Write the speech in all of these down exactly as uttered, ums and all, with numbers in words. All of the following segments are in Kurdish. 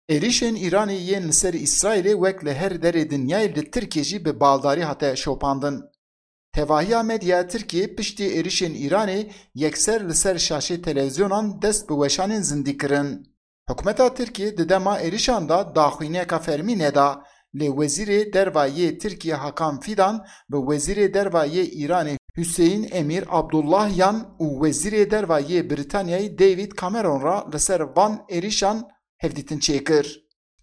Êrişên Îranê yên li ser Îsraîlê wek li her derê dinyayê li Tirkiyê jî bi baldarî hate şopandin. Tevahiya medyaya Tirkiyê piştî êrişên Îranê yekser li ser şaşê televîzyonan dest bi weşanên zindî kirin. Hikûmeta Tirkiyê di dema êrişan de daxuyaniyeka fermî neda, lê Wezîrê Derva yê Tirkiyê Hakan Fidan bi Wezîrê Derva yê Îranê Huseyîn Emîr Abdullahiyan û Wezîrê Derva yê Brîtanyayê David Cameron re li ser van êrişan hevdîtin çêkir.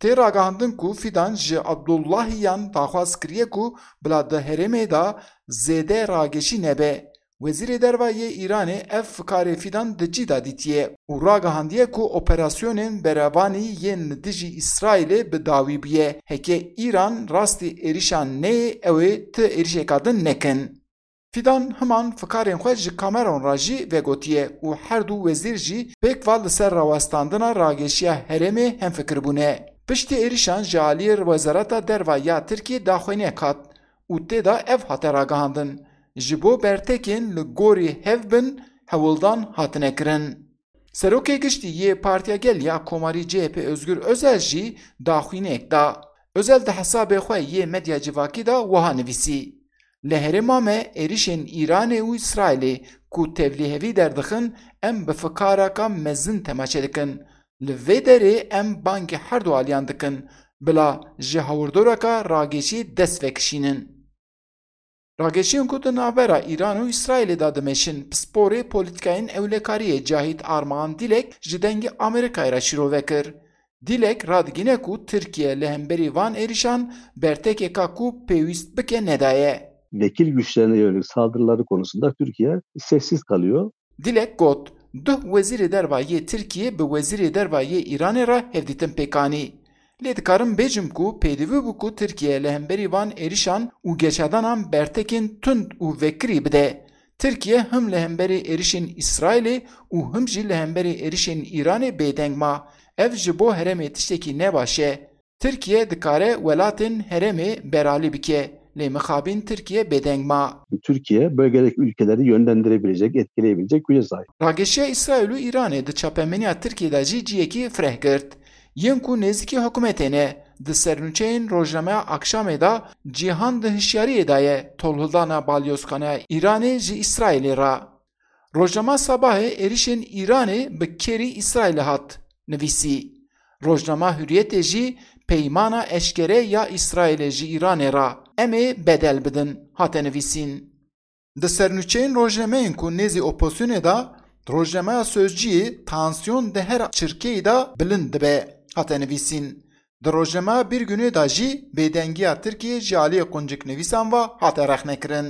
Tê ragihandin ku Fidan ji Abdullahiyan daxwaz kiriye ku bila di herêmê de zêde rageşî nebe. Wezîrê Derva yê Îranê ev fikarê Fidan di cî de dîtiye û ragihandiye ku operasyonên berevanî yên li dijî Îsraîlê bi dawî bûye. Heke Îran rastî êrişan neyê, ew ê ti êrişeka din nekin. Fidan himan fikarên xwe ji Cameron re jî vegotiye û her du wezîr jî pêk ve li ser rawestandina rageşiya herêmê hemfikir bûne. Piştî êrişan ji aliyê Wezareta Derva ya Tirkiyê daxuyaniyek hat û tê de ev hate ragihandin, ji bo bertekên li gorî hev bin hewldan hatine kirin. Serokê Giştî yê Partiya Gel ya Komarî C H P Özgür Özel jî daxuyaniyek da. Özel di hesabê xwe yê medya civakî de wiha nivîsî: Li herêma me êrişên Îranê û Îsraîlê ku tevlîhevî derdixin, em bi fikareka mezin temaşe dikin. Li vê derê em bangê her du aliyan dikin, bila ji hawirdoreka rageşî dest vekişînin. Rageşiyên ku di navbera Îran û Îsraîlê de dimeşin, pisporê polîtîkayên ewlekariyê Cahit Armağan Dilek ji Dengê Amerîkayê re şîrove kir. Dilek radigihîne ku Tirkiye li hemberî van êrişan bertekeka ku pêwîst bike nedaye. Vekil güçlerine yönelik saldırıları konusunda Türkiye sessiz kalıyor. Dilek got, duh Wezîrê Derva yê Tirkiyê bi Wezîrê Derva yê Îranê re hevdîtin pêk anî. Lê dikarim bêjim ku pêdivî bû ku Tirkiye li hemberî van êrişan û geşedanan bertekên tund û vekirî bide. Tirkiye him li hemberî êrişên Îsraîlê û him jî li hemberî êrişên Îranê bêdeng ma. Ev ji bo herêmê tiştekî ne baş e. Tirkiye dikare welatên herêmê beralî bike, lê mixabin Tirkiye bêdeng ma. Türkiye bölgedeki ülkeleri yönlendirebilecek, etkileyebilecek güce sahip. Rageşiya Îsraîl û Îranê di çapemeniya Tirkiyê de jî cihekî fireh girt. Yên ku nêzîkî hikûmetê ne, di sernûçeyên rojnameya Akşamê de cîhan di hişyariyê de ye tolhildana balyozxaneya Îranê ji Îsraîlê re. Rojnama Sabahê êrişên Îranê bi kêrî Îsraîlê hat nivîsî. Rojnama Hurriyetê jî peymana eşkere ya Îsraîlê ji Îranê re, em ê bedel bidin, hate nivîsîn. Di sernûçeyên rojnameyên ku nêzî opozisyonê de, rojnameya Sözcüyê tansiyon di her çirkeyî de bilind dibe, hate nivîsîn. Di rojnameya Bir Günê de jî bêdengiya Tirkiyê ji aliyê qunciknivîsan ve hate rexnekirin.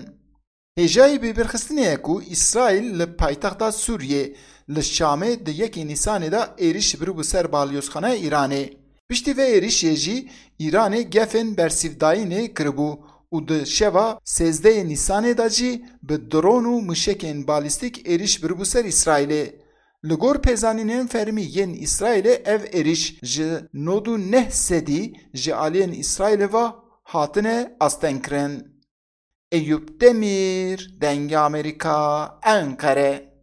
Hêjayî bibîrxistinê ye ku Îsraîl li paytexta Sûriyê, li Şamê di yekê Nîsanê de êrîş biribû ser balyozxaneya Îranê. Piştî vê êrîşê jî Îranê gefên bersîvdayînê kiribû û di şeva sêzdehê Nîsanê de jî bi dron û muşekên balîstîk êrîş biribû ser Îsraîlê. Li gor pêzanînên fermî yên Îsraîlê ev êrîş ji nod û neh sedî ji aliyên Îsraîlê ve hatine astengkirin. Eyûp Demîr, Dengê Amerîka, Enqere.